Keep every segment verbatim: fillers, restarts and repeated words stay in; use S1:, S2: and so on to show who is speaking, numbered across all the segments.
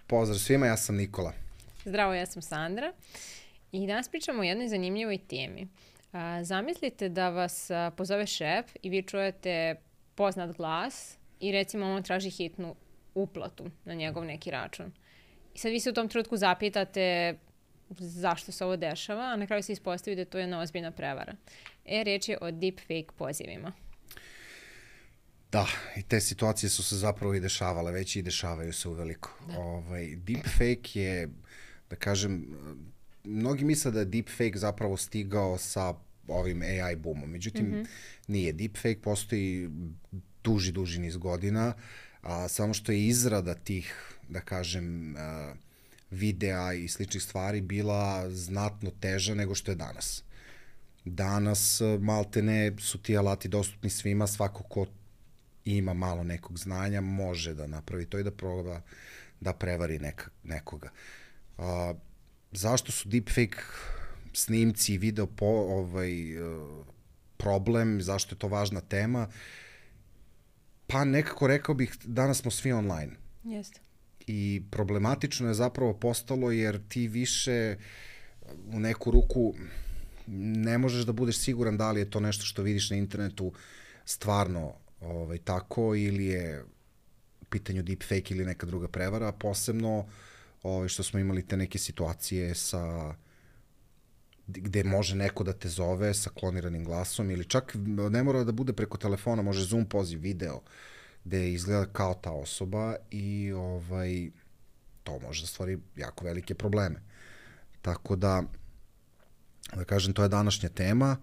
S1: Pozdrav svima, ja sam Nikola.
S2: Zdravo, ja sam Sandra i danas pričamo o jednoj zanimljivoj temi. A, zamislite da vas a, pozove šef i vi čujete poznat glas i recimo on traži hitnu uplatu na njegov neki račun. I sad vi se u tom trenutku zapitate zašto se ovo dešava, a na kraju se ispostavi da je to jedna ozbiljna prevara. E, riječ je o deepfake pozivima.
S1: Da, i te situacije su se zapravo i dešavale, već i dešavaju se uveliko. Ovaj, deepfake je, da kažem, mnogi misle da je deepfake zapravo stigao sa ovim A I boomom. Međutim, mm-hmm. nije. Deepfake postoji duži, duži niz godina, a samo što je izrada tih, da kažem, a, videa i sličnih stvari bila znatno teža nego što je danas. Danas, maltene, su ti alati dostupni svima, svako ko ima malo nekog znanja, može da napravi to i da proba da prevari neka, nekoga. A, zašto su deepfake snimci i video po, ovaj, problem, zašto je to važna tema? Pa nekako rekao bih, danas smo svi online.
S2: Jeste.
S1: I problematično je zapravo postalo jer ti više u neku ruku ne možeš da budeš siguran da li je to nešto što vidiš na internetu stvarno ovaj, tako ili je u pitanju deepfake ili neka druga prevara, posebno ovaj, što smo imali te neke situacije sa gde može neko da te zove sa kloniranim glasom ili čak ne mora da bude preko telefona, može Zoom poziv, video, gde izgleda kao ta osoba i ovaj, to može da stvori jako velike probleme. Tako da, da kažem, to je današnja tema,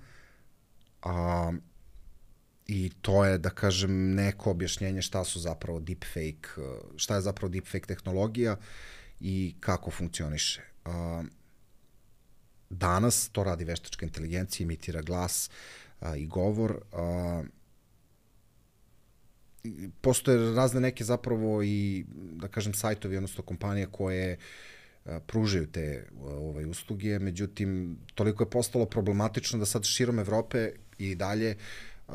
S1: a i to je, da kažem, neko objašnjenje šta su zapravo deepfake, šta je zapravo deepfake tehnologija i kako funkcioniše. A, danas to radi veštačka inteligencija, imitira glas a, i govor. A, postoje razne neke zapravo i, da kažem, sajtovi, odnosno kompanije koje a, pružaju te ovaj, usluge, međutim, toliko je postalo problematično da sad širom Evrope i dalje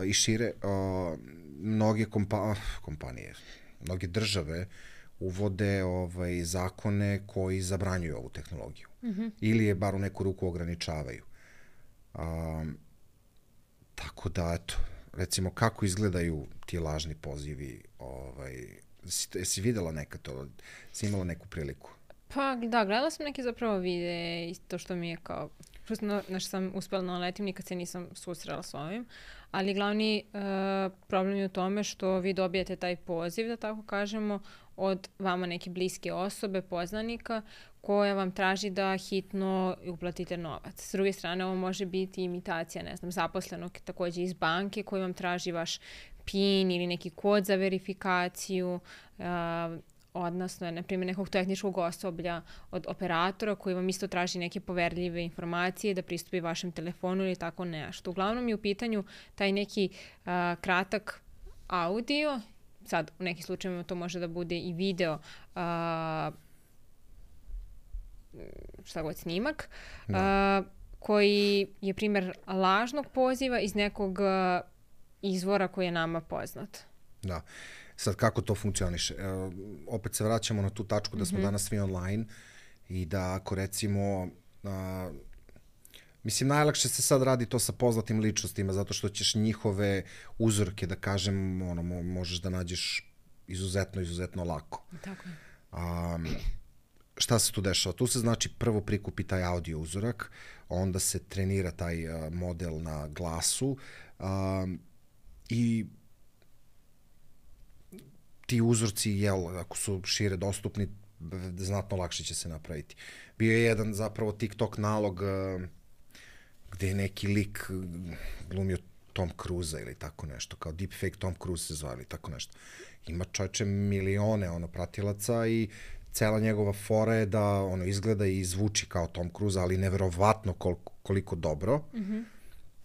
S1: i šire, uh, mnoge kompa kompanije, mnoge države uvode ovaj, zakone koji zabranjuju ovu tehnologiju. Mm-hmm. Ili je bar u neku ruku ograničavaju. Um, tako da, eto, recimo, kako izgledaju ti lažni pozivi? Ovaj, jesi, jesi videla nekad to? Jesi imala neku priliku?
S2: Pa da, gledala sam neke zapravo videe i to što mi je kao, prosto na što sam uspela naletim, nikad se nisam susrela s ovim, ali glavni uh, problem je u tome što vi dobijete taj poziv, da tako kažemo, od vama neke bliske osobe, poznanika, koja vam traži da hitno uplatite novac. S druge strane, ovo može biti imitacija, ne znam, zaposlenog takođe iz banke koji vam traži vaš PIN ili neki kod za verifikaciju, uh, odnosno, na primjer, nekog tehničkog osoblja od operatora koji vam isto traži neke poverljive informacije da pristupi vašem telefonu ili tako nešto. Uglavnom je u pitanju taj neki uh, kratak audio, sad u nekim slučajevima to može da bude i video, uh, šta god snimak, uh, koji je primjer lažnog poziva iz nekog uh, izvora koji je nama poznat.
S1: Da. Sad, kako to funkcioniše? E, opet se vraćamo na tu tačku da smo mm-hmm. danas svi online i da ako recimo, a, mislim, najlakše se sad radi to sa poznatim ličnostima zato što ćeš njihove uzorke, da kažem, ono, mo, možeš da nađeš izuzetno, izuzetno lako.
S2: Tako je.
S1: A, šta se tu dešava? Tu se znači prvo prikupi taj audio uzorak, onda se trenira taj a, model na glasu a, i ti uzorci, jel, ako su šire dostupni, znatno lakše će se napraviti. Bio je jedan zapravo TikTok nalog uh, gde je neki lik glumio Tom Cruise ili tako nešto, kao deepfake Tom Cruise se zvali, tako nešto. Ima čovječe milione ono pratilaca i cela njegova fora je da ono izgleda i zvuči kao Tom Cruise, ali neverovatno koliko, koliko dobro. Mm-hmm.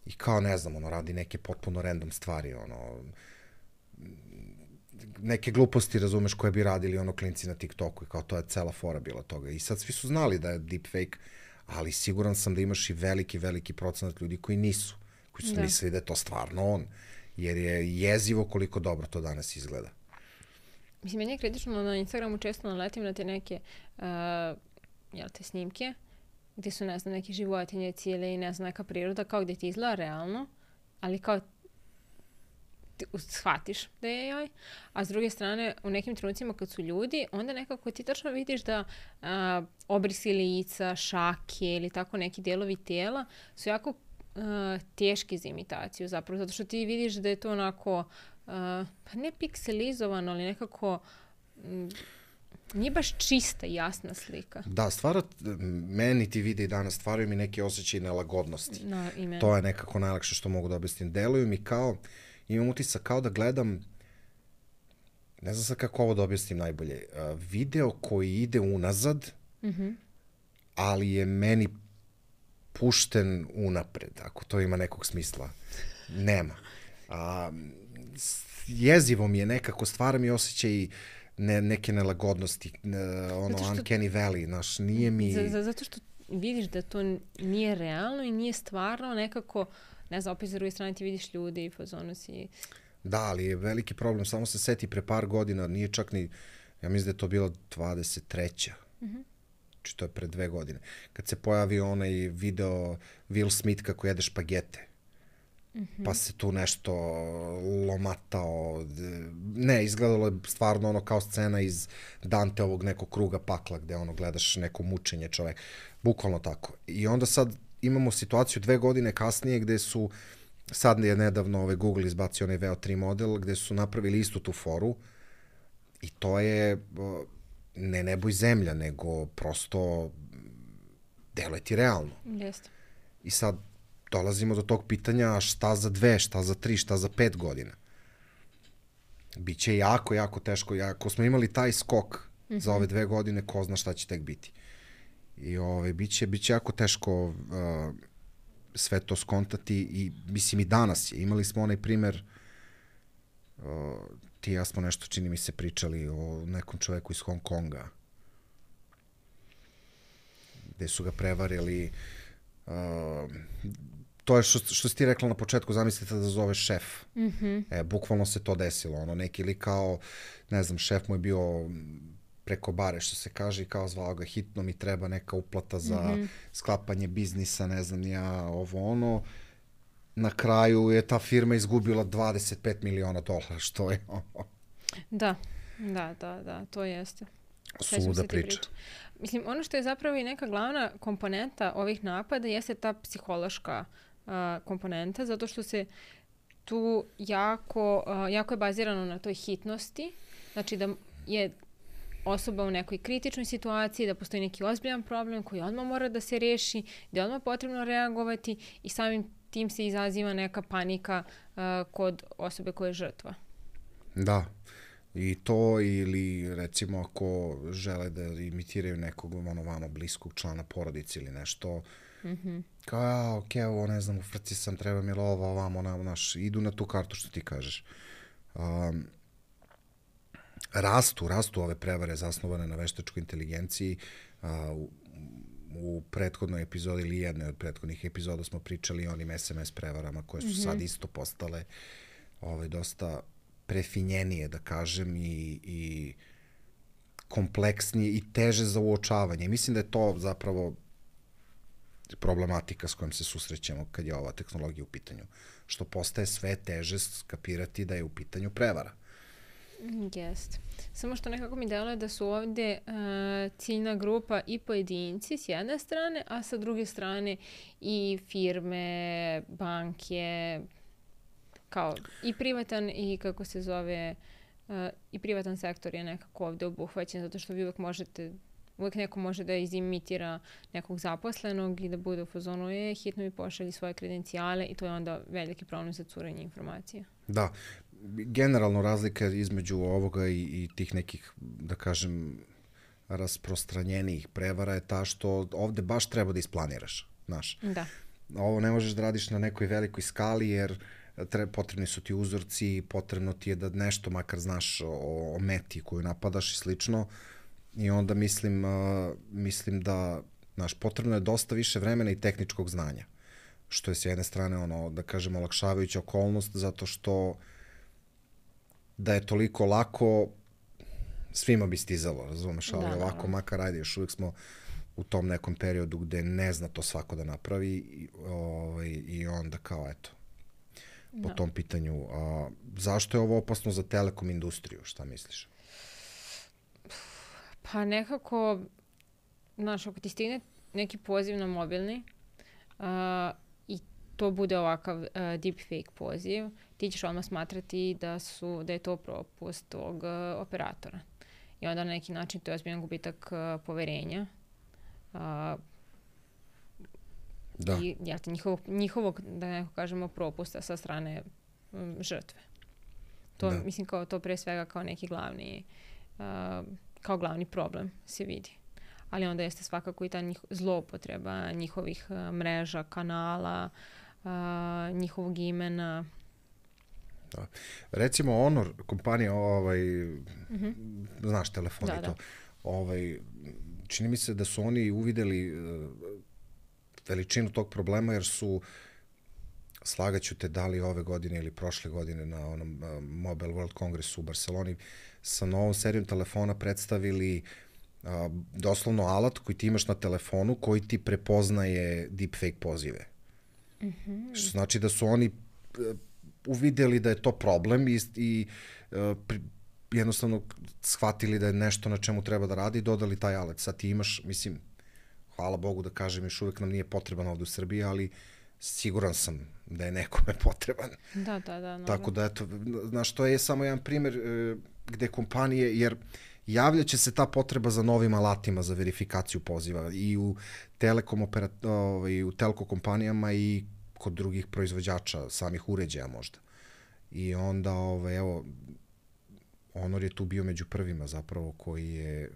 S1: I kao, ne znam, ono radi neke potpuno random stvari, ono neke gluposti, razumeš, koje bi radili ono klinci na TikToku i kao to je cela fora bila toga. I sad svi su znali da je deepfake, ali siguran sam da imaš i veliki, veliki procenat ljudi koji nisu, koji su da. mislili da je to stvarno on, jer je jezivo koliko dobro to danas izgleda.
S2: Mislim, meni je kritično na Instagramu često naletim na te neke uh, jel te, snimke gdje su, ne znam, neke životinje cijele i ne znam, neka priroda kao gdje ti izgleda realno, ali kao ti shvatiš da je joj, a s druge strane u nekim trenucima kad su ljudi, onda nekako ti tačno vidiš da a, obrisi lica, šake ili tako neki dijelovi tijela su jako a, teški za imitaciju zapravo, zato što ti vidiš da je to onako, a, pa ne pikselizovano, ali nekako m, nije baš čista i jasna slika.
S1: Da, stvara, meni ti vide i danas stvaraju mi neke osjećaje nelagodnosti.
S2: No,
S1: to je nekako najlakše što mogu da objasnim. Deluju mi kao, imam utisak kao da gledam, ne znam sad kako ovo da objasnim najbolje, uh, video koji ide unazad,
S2: mm-hmm.
S1: ali je meni pušten unapred, ako to ima nekog smisla. Nema. Uh, jezivo mi je nekako, stvara mi osjećaj ne, neke nelagodnosti, ne, ono, što, uncanny valley, znaš, nije mi...
S2: Z, z, zato što vidiš da to nije realno i nije stvarno nekako, ne znam, opet za druge strane ti vidiš ljudi i fazonu si...
S1: Da, ali je veliki problem, samo se seti pre par godina, nije čak ni, ja mislim da je to bilo dvadeset treća
S2: Mm-hmm.
S1: Znači to je pre dve godine, kad se pojavio onaj video Will Smith kako jede špagete. Mm-hmm. Pa se tu nešto lomatao, ne, izgledalo je stvarno ono kao scena iz Danteovog nekog kruga pakla, gde ono gledaš neko mučenje čoveka, bukvalno tako. I onda sad imamo situaciju dve godine kasnije gde su, sad je nedavno ovaj Google izbacio onaj V O tri model, gde su napravili istu tu foru i to je ne nebo i zemlja, nego prosto deluje ti realno.
S2: Jeste.
S1: I sad dolazimo do tog pitanja šta za dve, šta za tri, šta za pet godina. Biće jako, jako teško. Ako smo imali taj skok mm-hmm. za ove dve godine, ko zna šta će tek biti. I ove, biće, biće jako teško uh, sve to skontati i mislim i danas je. Imali smo onaj primer, uh, ti ja smo nešto, čini mi se, pričali o nekom čoveku iz Hong Konga, gde su ga prevarili. Uh, to je što, što si ti rekla na početku, zamislite da zove šef.
S2: Mm-hmm.
S1: E, bukvalno se to desilo. Ono, neki li kao, ne znam, šef mu je bio preko bare, što se kaže, i kao zvao ga, hitno mi treba neka uplata za mm-hmm. sklapanje biznisa, ne znam ja, ovo ono. Na kraju je ta firma izgubila dvadeset pet miliona dolara, što je ono.
S2: Da, da, da, da, to jeste.
S1: Suluda priča.
S2: Mislim, ono što je zapravo i neka glavna komponenta ovih napada jeste ta psihološka uh, komponenta, zato što se tu jako, uh, jako je bazirano na toj hitnosti, znači da je osoba u nekoj kritičnoj situaciji, da postoji neki ozbiljan problem koji odmah mora da se reši, da je odmah potrebno reagovati i samim tim se izaziva neka panika uh, kod osobe koja je žrtva.
S1: Da. I to, ili recimo ako žele da imitiraju nekog ono vamo bliskog člana porodice ili nešto,
S2: mm-hmm.
S1: kao ja, okej, okay, ovo ne znam, u frci sam, treba mi lova, ovamo, na, naš, idu na tu kartu što ti kažeš. Um, rastu, rastu ove prevare zasnovane na veštačkoj inteligenciji. Uh, u, u prethodnoj epizodi ili jednoj od prethodnih epizoda smo pričali o onim es em es prevarama koje su mm-hmm. sad isto postale ovaj, dosta prefinjenije, da kažem, i, i kompleksnije i teže za uočavanje. Mislim da je to zapravo problematika s kojom se susrećemo kad je ova tehnologija u pitanju. Što postaje sve teže skapirati da je u pitanju prevara.
S2: Jest. Samo što nekako mi deluje da su ovdje uh, ciljna grupa i pojedinci s jedne strane, a sa druge strane i firme, banke, kao i privatan i kako se zove uh, i privatan sektor je nekako ovdje obuhvaćen, zato što vi uvijek možete, uvijek neko može da izimitira nekog zaposlenog i da bude u fazonu je, hitno mi pošalji svoje kredencijale i to je onda veliki problem za curenje informacija.
S1: Da, generalno razlika između ovoga i, i tih nekih, da kažem, rasprostranjenijih prevara je ta što ovdje baš treba da isplaniraš, znaš.
S2: Da.
S1: Ovo ne možeš da radiš na nekoj velikoj skali jer Tre, potrebni su ti uzorci, potrebno ti je da nešto makar znaš o, o meti koju napadaš i slično. I onda mislim, uh, mislim da znaš, potrebno je dosta više vremena i tehničkog znanja. Što je s jedne strane, ono, da kažem, olakšavajuća okolnost, zato što da je toliko lako, svima bi stizalo, razumeš, ali
S2: Da,
S1: ovako,
S2: da.
S1: makar ajde, još uvijek smo u tom nekom periodu gde ne zna to svako da napravi i, ovaj, i onda kao, eto, po
S2: Da.
S1: tom pitanju. A, zašto je ovo opasno za telekom industriju, šta misliš?
S2: Pa nekako, znaš, ako ti stigne neki poziv na mobilni uh, i to bude ovakav uh, deepfake poziv, ti ćeš odmah smatrati da, su, da je to propust tog uh, operatora. I onda na neki način to je ozbiljan gubitak uh, poverenja. Uh,
S1: Da.
S2: I ja, njihovog, njihovog, da neko kažemo, propusta sa strane um, žrtve. To,
S1: Da.
S2: mislim, kao to pre svega kao neki glavni, uh, kao glavni problem se vidi. Ali onda jeste svakako i ta njih, zloupotreba njihovih uh, mreža, kanala, uh, njihovog imena.
S1: Da. Recimo Honor, kompanija, ovaj,
S2: Mm-hmm.
S1: znaš, telefon
S2: Da,
S1: i to,
S2: da.
S1: ovaj, čini mi se da su oni uvideli uh, veličinu tog problema, jer su, slagaću te, da li ove godine ili prošle godine na onom uh, Mobile World Congressu u Barceloni, sa novom serijom telefona predstavili uh, doslovno alat koji ti imaš na telefonu, koji ti prepoznaje deepfake pozive.
S2: Mm-hmm.
S1: Što znači da su oni uh, uvideli da je to problem i, i uh, pri, jednostavno shvatili da je nešto na čemu treba da radi i dodali taj alat. Sad ti imaš, mislim, hvala Bogu da kažem, još uvek nam nije potreban ovde u Srbiji, ali siguran sam da je nekome potreban.
S2: Da, da, da. No,
S1: Tako da, eto, znaš, to je samo jedan primer e, gde kompanije, jer javljaće se ta potreba za novim alatima za verifikaciju poziva i u telekom operat, ovaj, u telko kompanijama i kod drugih proizvođača, samih uređaja možda. I onda, ovaj, evo, Honor je tu bio među prvima zapravo koji je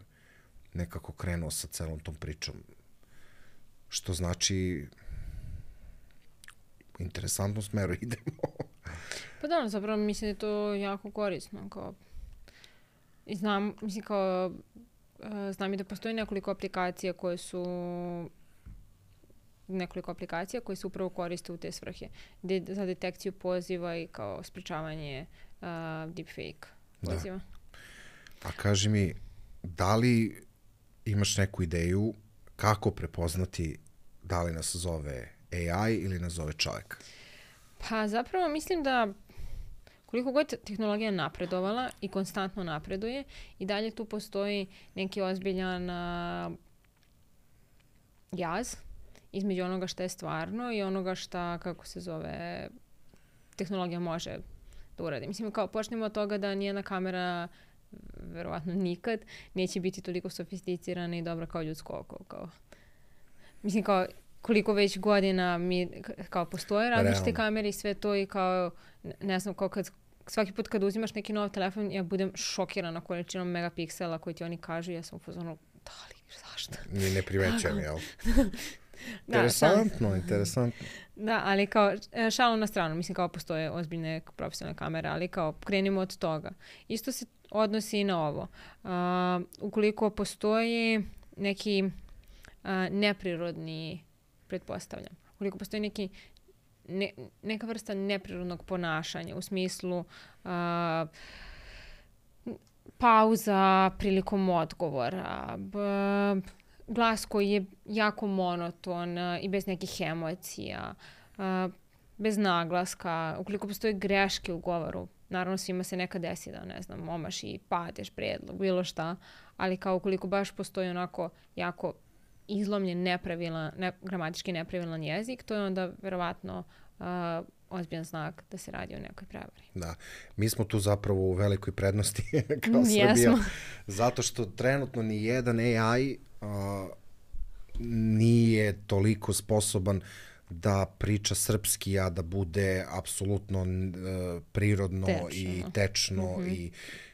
S1: nekako krenuo sa celom tom pričom. Što znači u interesantnom smeru idemo.
S2: Pa da, zapravo mislim da je to jako korisno. Kao, i znam, mislim kao, uh, znam i da postoji nekoliko aplikacija koje su nekoliko aplikacija koje se upravo koriste u te svrhe. De, za detekciju poziva i kao sprečavanje uh, deepfake poziva.
S1: Da. A kaži mi, da li imaš neku ideju kako prepoznati da li nas zove A I ili nas zove čovjek?
S2: Pa zapravo mislim da koliko god tehnologija napredovala i konstantno napreduje, i dalje tu postoji neki ozbiljan uh, jaz između onoga što je stvarno i onoga šta, kako se zove, tehnologija može da uradi. Mislim, kao počnemo od toga da nijedna kamera verovatno nikad neće biti toliko sofisticirana i dobra kao ljudsko oko. Kao. Mislim, kao koliko već godina mi kao postoje različite kamere i sve to i kao, ne znam, kao kad svaki put kad uzimaš neki nov telefon, ja budem šokirana količinom megapiksela koji ti oni kažu, ja sam u fazonu, da li, zašto?
S1: Ni ne primećujem, jel? Interesantno,
S2: da,
S1: interesantno.
S2: Da, ali kao, šalom na stranu, mislim kao postoje ozbiljne profesionalne kamere, ali kao krenimo od toga. Isto se odnosi i na ovo. Uh, ukoliko postoji neki uh, neprirodni, pretpostavljam, ukoliko postoji neki ne, neka vrsta neprirodnog ponašanja u smislu uh, pauza prilikom odgovora, b, glas koji je jako monoton uh, i bez nekih emocija, uh, bez naglaska, ukoliko postoje greške u govoru, naravno svima se nekad desi da, ne znam, omaš i padeš predlog, bilo šta, ali kao ukoliko baš postoji onako jako izlomljen, nepravilan, ne, gramatički nepravilan jezik, to je onda verovatno uh, ozbiljan znak da se radi o nekoj prevari.
S1: Da, mi smo tu zapravo u velikoj prednosti kao
S2: Jesmo.
S1: Srbija, zato što trenutno ni jedan A I uh, nije toliko sposoban da priča srpski, a da bude apsolutno uh, prirodno tečno. i tečno mm-hmm. i,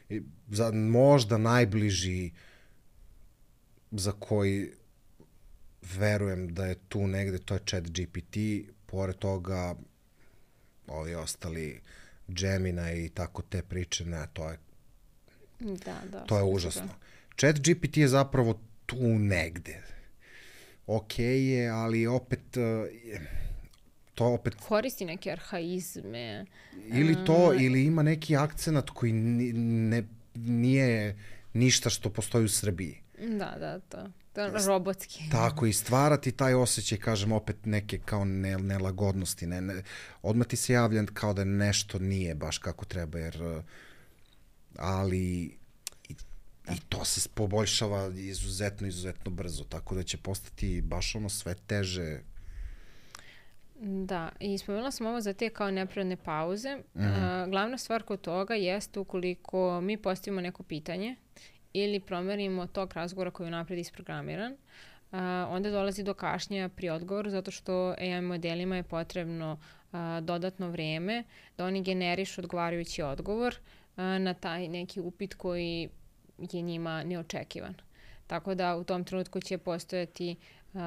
S1: i za, možda najbliži za koji verujem da je tu negde, to je ChatGPT, pored toga ovi ostali Gemini i tako te priče, ne, to je
S2: da, da,
S1: to je užasno. ChatGPT je zapravo tu negde. Ok je, ali opet to opet
S2: koristi neke arhaizme.
S1: Ili to, um, ili ima neki akcenat koji ne, nije ništa što postoji u Srbiji.
S2: Da, da, to. To je robotski.
S1: Tako, i stvarati taj osjećaj, kažem, opet neke kao ne, nelagodnosti. Ne, ne, odmah ti se javlja kao da nešto nije baš kako treba, jer ali i, i to se poboljšava izuzetno, izuzetno brzo, tako da će postati baš ono sve teže.
S2: Da, i spomenula sam ovo za te kao neprirodne pauze. Mm-hmm. Uh, glavna stvar kod toga jeste ukoliko mi postavimo neko pitanje ili promerimo tog razgovora koji je napred isprogramiran, uh, onda dolazi do kašnjenja pri odgovoru zato što A I modelima je potrebno uh, dodatno vreme da oni generišu odgovarajući odgovor uh, na taj neki upit koji je njima neočekivan. Tako da u tom trenutku će postojati uh,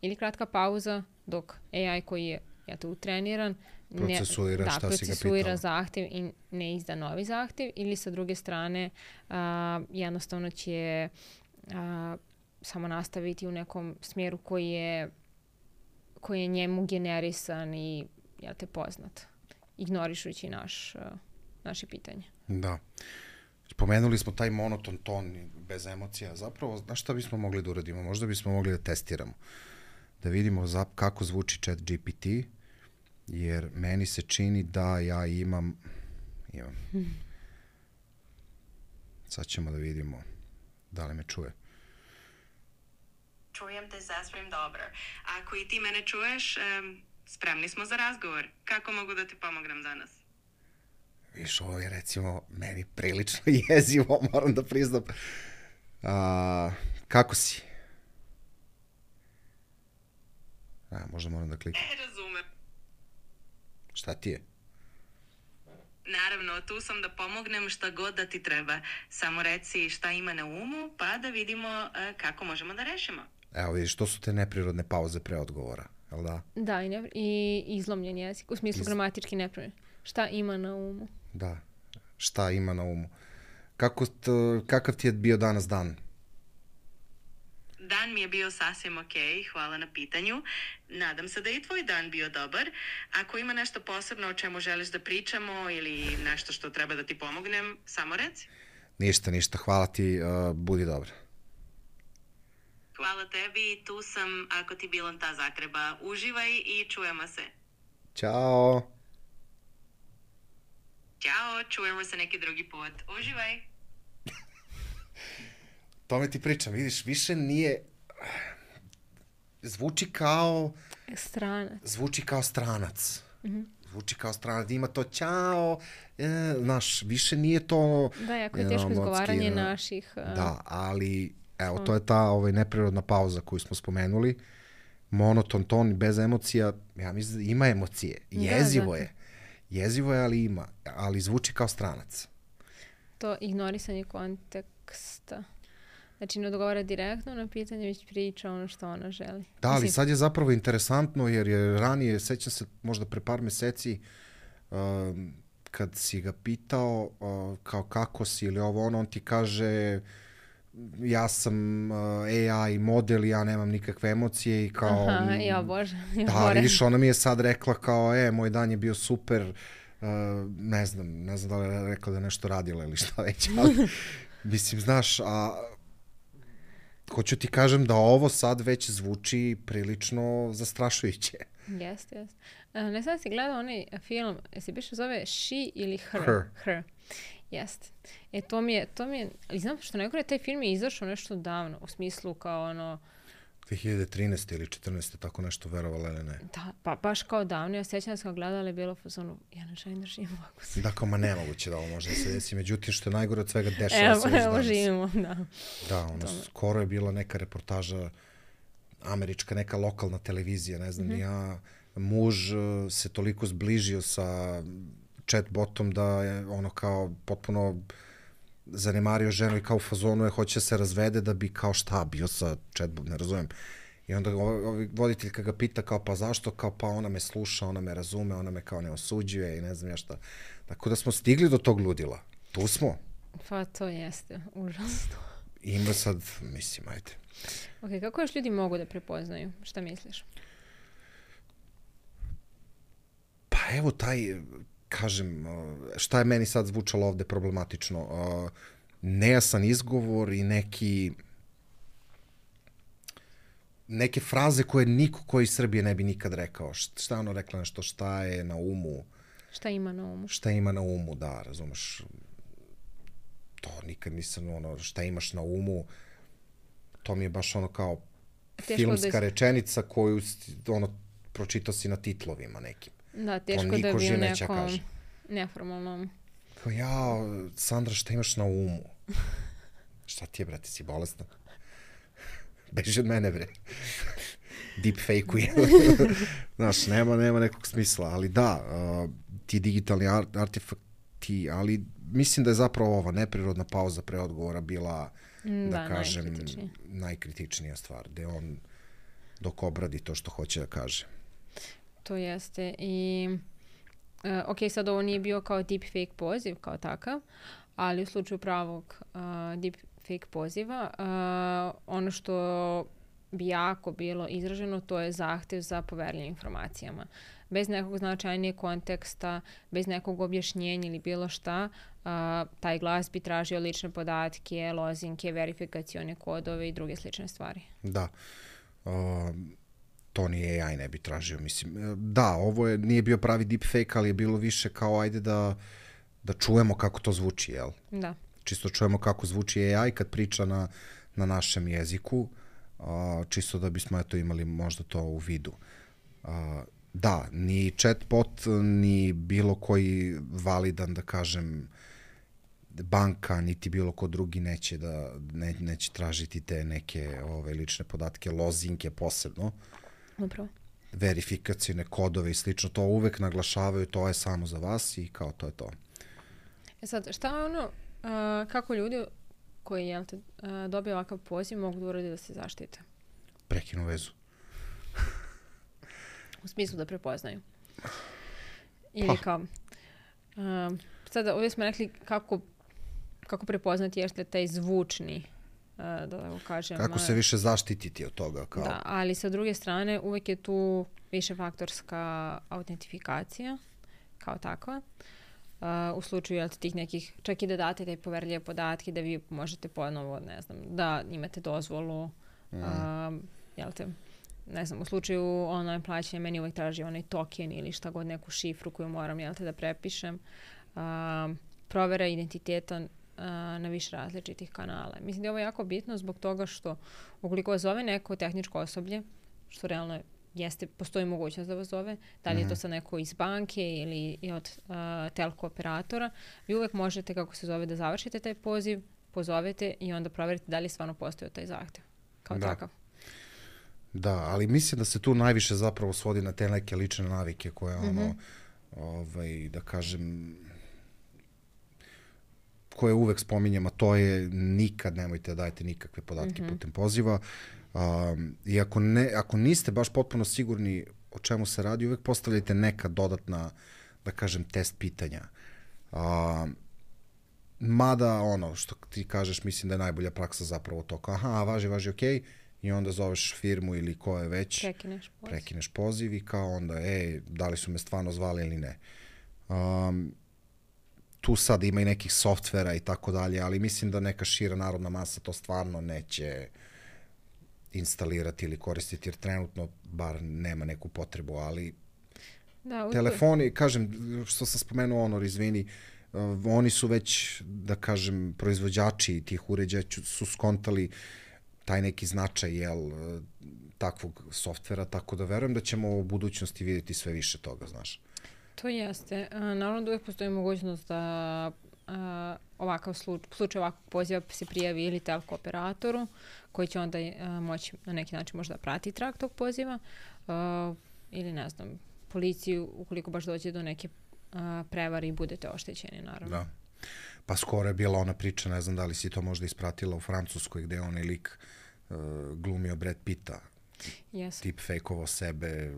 S2: ili kratka pauza dok A I koji je eto, utreniran
S1: procesuira
S2: ne,
S1: šta
S2: da,
S1: si ga
S2: procesuira zahtev i ne izda novi zahtev, ili sa druge strane a, jednostavno će a, samo nastaviti u nekom smjeru koji je, koji je njemu generisan i ja te poznat, ignorišući naš, a, naše pitanje.
S1: Da. Pomenuli smo taj monoton ton bez emocija. Zapravo, znaš šta bismo mogli da uradimo? Možda bismo mogli da testiramo. Da vidimo za, kako zvuči Chat G P T, jer meni se čini da ja imam, imam. Hmm. Sad ćemo da vidimo da li me čuje.
S3: Čujem te sasvim dobro. Ako i ti mene čuješ, um, spremni smo za razgovor. Kako mogu da ti pomognem danas?
S1: Viš, ovo je recimo meni prilično jezivo, moram da priznam. A, kako si? A, možda moram da kliknem.
S3: E, razumem.
S1: Šta ti je?
S3: Naravno, tu sam da pomognem šta god da ti treba. Samo reci šta ima na umu, pa da vidimo uh, kako možemo da rešimo.
S1: Evo vidiš, to su te neprirodne pauze pre odgovora, jel da?
S2: Da, i, ne, i izlomljen jezik, u smislu Iz... gramatički neprirodni. Šta ima na umu?
S1: Da, šta ima na umu. Kako t, kakav ti je bio danas dan?
S3: Dan mi je bio sasvim ok, hvala na pitanju. Nadam se da je i tvoj dan bio dobar. Ako ima nešto posebno o čemu želiš da pričamo ili nešto što treba da ti pomognem, samo reci.
S1: Ništa, ništa, hvala ti, uh, budi dobra.
S3: Hvala tebi, tu sam ako ti bilo ta zatreba. Uživaj i čujemo se.
S1: Ćao.
S3: Ćao, čujemo se neki drugi put. Uživaj.
S1: Tome ti pričam, vidiš, više nije, zvuči kao...
S2: Stranac.
S1: Zvuči kao stranac.
S2: Mm-hmm.
S1: Zvuči kao stranac, ima to ćao, e, znaš, više nije to...
S2: Da, jako je teško izgovaranje no, naših... Uh,
S1: da, ali, evo, to je ta ovaj, neprirodna pauza koju smo spomenuli, monoton ton, bez emocija, ja mislim da ima emocije, jezivo da, da. je, jezivo je, ali ima, ali zvuči kao stranac.
S2: To ignorisanje konteksta. Znači, ne odgovara direktno na pitanje, već priča ono što ona želi.
S1: Da, ali sad je zapravo interesantno, jer je ranije, sećam se možda pre par meseci, uh, kad si ga pitao uh, kao kako si ili ovo ono, on ti kaže ja sam uh, A I model, ja nemam nikakve emocije i kao...
S2: Aha, ja bože. Ja
S1: da, vidiš, ona mi je sad rekla kao, e, moj dan je bio super, uh, ne znam, ne znam da li je rekla da nešto radila ili šta već, ali mislim, znaš, a... Hoću ti kažem da ovo sad već zvuči prilično zastrašujuće.
S2: Jeste, jeste. Ne znam si gledao onaj film, se biše zove She ili Her?
S1: Her.
S2: Her. Jeste. E, to mi je, to mi je, ali znam što najgore, taj film je izašao nešto davno, u smislu kao ono...
S1: dve hiljade trinaeste ili četrnaeste, tako nešto, verovala ili ne?
S2: Da, pa baš kao davno. Ja sjećam da sam gledala i bilo fazonu, ja ne želim da živim ovako se.
S1: Da, kao ma nemoguće da ovo može da se desi. Međutim, što je najgore od svega, dešava se već danas.
S2: Evo, živimo, da.
S1: Da, ono, skoro je bila neka reportaža, američka, neka lokalna televizija, ne znam, mm-hmm. ja, muž se toliko zbližio sa chatbotom da je ono kao potpuno zanemario ženu i kao u fazonu je hoće se razvede da bi kao šta bio sa chatbot, ne razumijem. I onda ovaj voditeljka ga pita kao pa zašto, kao pa ona me sluša, ona me razume, ona me kao ne osuđuje i ne znam ja šta. Tako da smo stigli do tog ludila. Tu smo.
S2: Pa to jeste, užasno.
S1: Ima sad, mislim, ajde.
S2: Ok, kako još ljudi mogu da prepoznaju? Šta misliš?
S1: Pa evo taj... kažem, šta je meni sad zvučalo ovde problematično? nejasan izgovor i neki neke fraze koje niko koji iz Srbije ne bi nikad rekao. Šta ono rekla nešto, šta je na umu?
S2: Šta ima na umu?
S1: Šta ima na umu, da, razumeš. To nikad nisam, ono, šta imaš na umu, to mi je baš ono kao teško filmska da... rečenica koju, ono, pročitao si na titlovima nekim.
S2: Da, teško da bi u nekom neformalnom.
S1: Kao, ja, Sandra, šta imaš na umu? Šta ti je, brate, si bolesna? Beži od mene, bre. Deepfake-uje. Znaš, nema, nema nekog smisla, ali da, uh, ti digitalni art, artefakti, ali mislim da je zapravo ova neprirodna pauza pre odgovora bila, da, da kažem, najkritičnija. najkritičnija stvar, gde on dok obradi to što hoće da kaže.
S2: To jeste i uh, ok, sad ovo nije bio kao deepfake poziv kao takav, ali u slučaju pravog uh, deepfake poziva, uh, ono što bi jako bilo izraženo, to je zahtev za poverljivim informacijama. Bez nekog značajnijeg konteksta, bez nekog objašnjenja ili bilo šta, uh, taj glas bi tražio lične podatke, lozinke, verifikacione kodove i druge slične stvari.
S1: Da. Uh, to ni A I ne bi tražio, mislim. Da, ovo je, nije bio pravi deepfake, ali je bilo više kao ajde da, da čujemo kako to zvuči, jel?
S2: Da.
S1: Čisto čujemo kako zvuči A I kad priča na, na našem jeziku, uh, čisto da bismo eto imali možda to u vidu. Uh, da, ni chatbot, ni bilo koji validan, da kažem, banka, niti bilo ko drugi neće da ne, neće tražiti te neke ove lične podatke, lozinke posebno.
S2: Upravo.
S1: Verifikacijne kodove i slično, to uvek naglašavaju, to je samo za vas i kao to je to.
S2: E sad, šta je ono, uh, kako ljudi koji jel te, uh, dobiju ovakav poziv mogu da uradi da se zaštite?
S1: Prekinu vezu.
S2: U smislu da prepoznaju. Ili pa. kao, uh, sada ovdje smo rekli kako, kako prepoznati jeste taj zvučni, uh, da tako kažem.
S1: Kako se više zaštititi od toga. Kao.
S2: Da, ali sa druge strane uvek je tu višefaktorska autentifikacija kao takva. Uh, u slučaju jel, tih nekih, čak i da date te poverljive podatke, da vi možete ponovo, ne znam, da imate dozvolu, mm. uh, jel te, ne znam, u slučaju online plaćanja meni uvek traži onaj token ili šta god, neku šifru koju moram, jel te, da prepišem. Uh, provera identiteta uh, na više različitih kanala. Mislim da je ovo jako bitno zbog toga što ukoliko vas zove neko tehničko osoblje, što realno jeste, postoji mogućnost da vas zove, da li je to sad neko iz banke ili i od uh, telko operatora, vi uvek možete, kako se zove, da završite taj poziv, pozovete i onda proverite da li stvarno postoji taj zahtev. Kao
S1: da.
S2: takav.
S1: Da, ali mislim da se tu najviše zapravo svodi na te neke lične navike koje,
S2: mm-hmm.
S1: ono, ovaj, da kažem, koje uvek spominjem, a to je nikad nemojte da dajete nikakve podatke mm-hmm. putem poziva. Um, I ako, ne, ako niste baš potpuno sigurni o čemu se radi, uvek postavljajte neka dodatna, da kažem, test pitanja. Um, mada, ono, što ti kažeš, mislim da je najbolja praksa zapravo to. Kao, aha, važi, važi, okej. Okay. I onda zoveš firmu ili ko je već.
S2: Prekineš poziv.
S1: Prekineš poziv i kao onda, ej, da li su me stvarno zvali ili ne. Um, tu sad ima i nekih softvera i tako dalje, ali mislim da neka šira narodna masa to stvarno neće instalirati ili koristiti, jer trenutno bar nema neku potrebu, ali
S2: da,
S1: telefoni, kažem, što sam spomenuo, Honor, izvini, uh, oni su već, da kažem, proizvođači tih uređaja su skontali taj neki značaj, jel, takvog softvera, tako da verujem da ćemo u budućnosti vidjeti sve više toga, znaš.
S2: To jeste. Naravno da uvijek postoji mogućnost da a, ovakav slučaj, slučaj ovakvog poziva se prijavi ili telko operatoru, koji će onda a, moći na neki način možda prati trag tog poziva, a, ili ne znam, policiju ukoliko baš dođe do neke a, prevare i budete oštećeni, naravno.
S1: Da. Pa skoro je bila ona priča, ne znam da li si to možda ispratila u Francuskoj, gde je onaj lik uh, glumio Brad Pitta.
S2: Yes.
S1: Tip fejkovo sebe,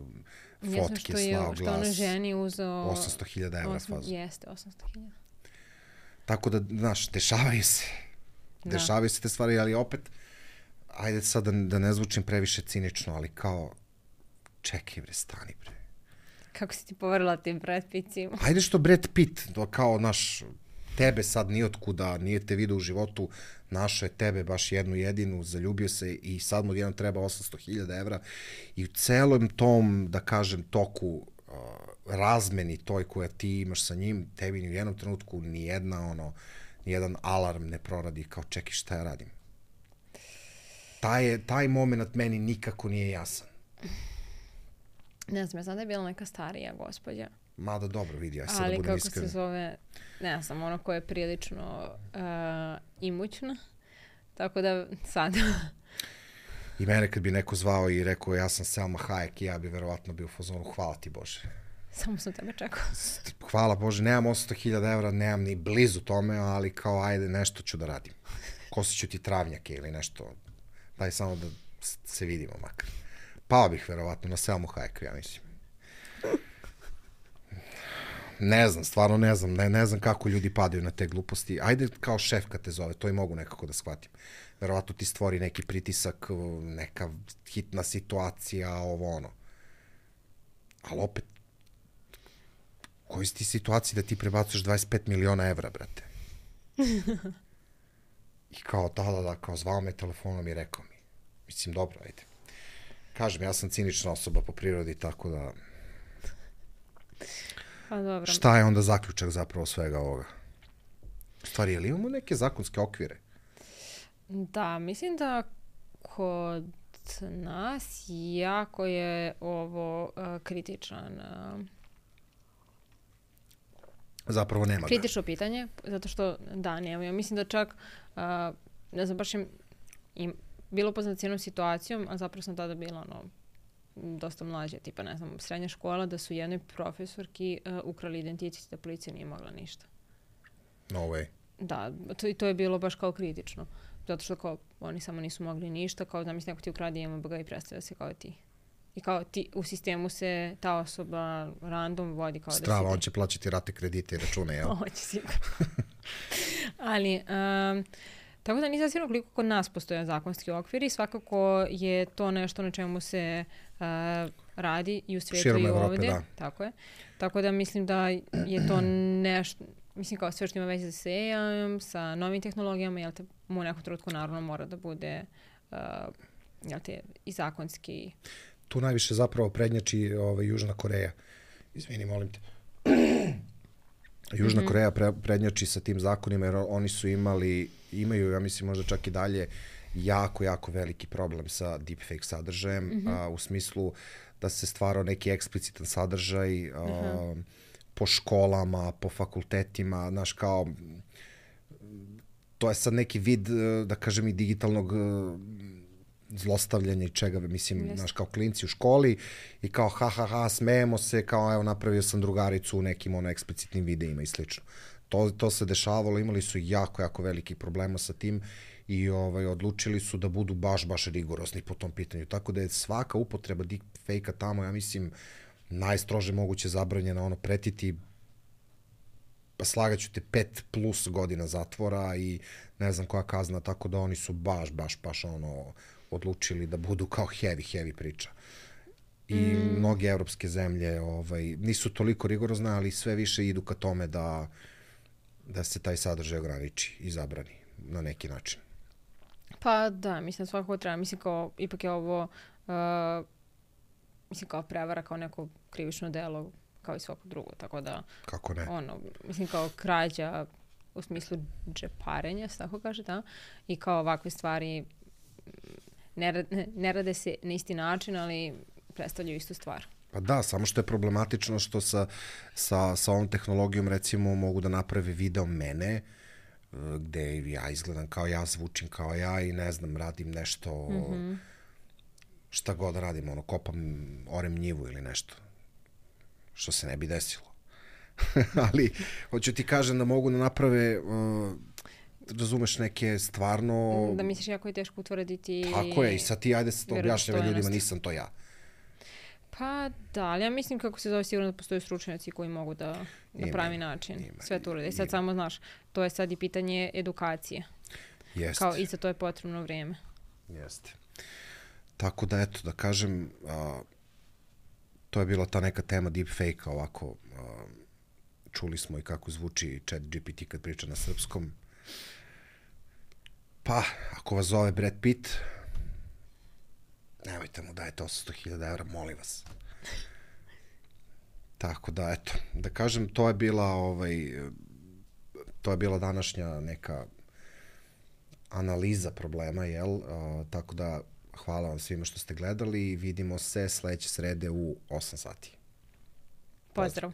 S2: fotke,
S1: slao glas.
S2: Što ono ženi uzeo
S1: osamsto hiljada evra fazu.
S2: Jeste, osamsto hiljada.
S1: Tako da, znaš, dešavaju se. Da. Dešavaju se te stvari, ali opet, ajde sad da, da ne zvučim previše cinično, ali kao, čekaj bre, stani bre.
S2: Kako si ti poverila tim Brad Pittima?
S1: Ajde što Brad Pitt, to kao naš tebe sad nijotkuda, nije te vidio u životu, našao je tebe baš jednu jedinu, zaljubio se i sad mu jednom treba osamsto hiljada evra i u celom tom, da kažem, toku uh, razmeni toj koja ti imaš sa njim, tebi ni u jednom trenutku ni jedna, ono, ni jedan alarm ne proradi kao čekaj šta ja radim. Taj, taj moment meni nikako nije jasan.
S2: Ne znam, ja znam da je bila neka starija gospođa.
S1: Mada dobro, vidi, aj sad da budem iskren.
S2: Ali kako se zove, ne znam, ono koja je prilično uh, imućna. Tako da sad...
S1: I mene kad bi neko zvao i rekao ja sam Selma Hayek i ja bi verovatno bio u fazonu hvala ti Bože.
S2: Samo sam tebe čekao.
S1: Hvala Bože, nemam osamsto hiljada evra, nemam ni blizu tome, ali kao ajde nešto ću da radim. Kosit ću ti travnjake ili nešto. Daj samo da se vidimo makar. Pao bih verovatno na Selmu Hayek, ja mislim. Ne znam, stvarno ne znam. Ne, ne znam kako ljudi padaju na te gluposti. Ajde kao šef kad te zove, to i mogu nekako da shvatim. Verovatno ti stvori neki pritisak, neka hitna situacija, ovo ono. Ali opet, u kojoj si ti situaciji da ti prebacuješ dvadeset pet miliona evra, brate? I kao, da, da, da, kao zvao me telefonom i rekao mi. Mislim, dobro, ajde. Kažem, ja sam cinična osoba po prirodi, tako da...
S2: Pa dobro.
S1: Šta je onda zaključak zapravo svega ovoga? U stvari, je li imamo neke zakonske okvire?
S2: Da, mislim da kod nas jako je ovo uh, kritičan... Uh,
S1: Zapravo nema ga.
S2: Kritično pitanje, zato što da, nema. Ja mislim da čak, uh, ne znam, baš im, im bilo poznat cijenom situacijom, a zapravo sam tada bila ono, dosta mlađa, tipa, ne znam, srednja škola, da su jednoj profesorki uh, ukrali identitet da policija nije mogla ništa.
S1: No way.
S2: Da, to, i to je bilo baš kao kritično. Zato što kao, oni samo nisu mogli ništa, kao da mislim neko ti ukradi J M B G i predstavlja se kao ti. I kao ti, u sistemu se ta osoba random vodi kao
S1: Strava,
S2: da si...
S1: on će plaćati rate kredite i račune, jel?
S2: On će sigurno. Ali, um, tako da nisam sigurno koliko kod nas postoje zakonski okvir i svakako je to nešto na čemu se uh, radi i u svijetu
S1: Širom
S2: i
S1: Evrope,
S2: ovdje.
S1: da.
S2: Tako je. Tako da mislim da je to nešto, mislim kao sve što ima veze sa A I-om, sa novim tehnologijama, jel te u nekom trenutku naravno mora da bude uh, jel te, i zakonski...
S1: Tu najviše zapravo prednjači ovaj, Južna Koreja. Izvini, molim te. Južna mm-hmm. Koreja pre, prednjači sa tim zakonima jer oni su imali, imaju, ja mislim možda čak i dalje, jako, jako veliki problem sa deepfake sadržajem, mm-hmm. a, u smislu da se stvarao neki eksplicitan sadržaj a, mm-hmm. po školama, po fakultetima, znaš kao, to je sad neki vid, da kažem, i digitalnog zlostavljanja i čega, mislim, yes. Znaš, kao klinci u školi i kao ha, ha, ha, smejemo se, kao evo, napravio sam drugaricu u nekim ono eksplicitnim videima i slično. To, to se dešavalo, imali su jako, jako velikih problema sa tim i ovaj, odlučili su da budu baš, baš rigorozni po tom pitanju. Tako da je svaka upotreba deepfake-a tamo, ja mislim, najstrože moguće zabranjena, ono, pretiti pa slagaću te pet plus godina zatvora i ne znam koja kazna, tako da oni su baš, baš, baš ono, odlučili da budu kao heavy, heavy priča. I mm. mnoge evropske zemlje ovaj, nisu toliko rigorozne, ali sve više idu ka tome da, da se taj sadržaj ograniči i zabrani na neki način.
S2: Pa da, mislim svakako treba. Mislim kao, ipak je ovo, uh, mislim kao prevara, kao neko krivično delo, kao i svako drugo, tako da...
S1: Kako ne? Ono,
S2: mislim kao krađa u smislu džeparenja, tako kaže, da? I kao ovakve stvari ne rade, ne rade se na isti način, ali predstavljaju istu stvar.
S1: Pa da, samo što je problematično što sa, sa, sa ovom tehnologijom recimo mogu da naprave video mene gde ja izgledam kao ja, zvučim kao ja i ne znam, radim nešto, mm-hmm. šta god radim, ono, kopam, orem njivu ili nešto. Što se ne bi desilo. Ali, hoću ti kažem da mogu da naprave, uh, razumeš, neke stvarno...
S2: Da misliš jako je teško utvrditi...
S1: Tako je, i sad ti ajde se to objašnjava ljudima, nisam to ja.
S2: Pa da, ali ja mislim kako se zove sigurno da postoje stručnjaci koji mogu da na pravi način ima, sve to urede. I sad ima. Samo, znaš, to je sad i pitanje edukacije.
S1: Jeste.
S2: Kao i za to je potrebno vrijeme.
S1: Jeste. Tako da, eto, da kažem... Uh, to je bila ta neka tema deepfake-a, ovako uh, čuli smo i kako zvuči Chat G P T kad priča na srpskom. Pa, ako vas zove Brad Pitt, nemojte mu dajete osamsto hiljada evra, molim vas. Tako da, eto, da kažem, to je bila, ovaj, to je bila današnja neka analiza problema, jel? Uh, tako da, hvala vam svima što ste gledali i vidimo se sledeće srede u osam sati.
S2: Pozdrav.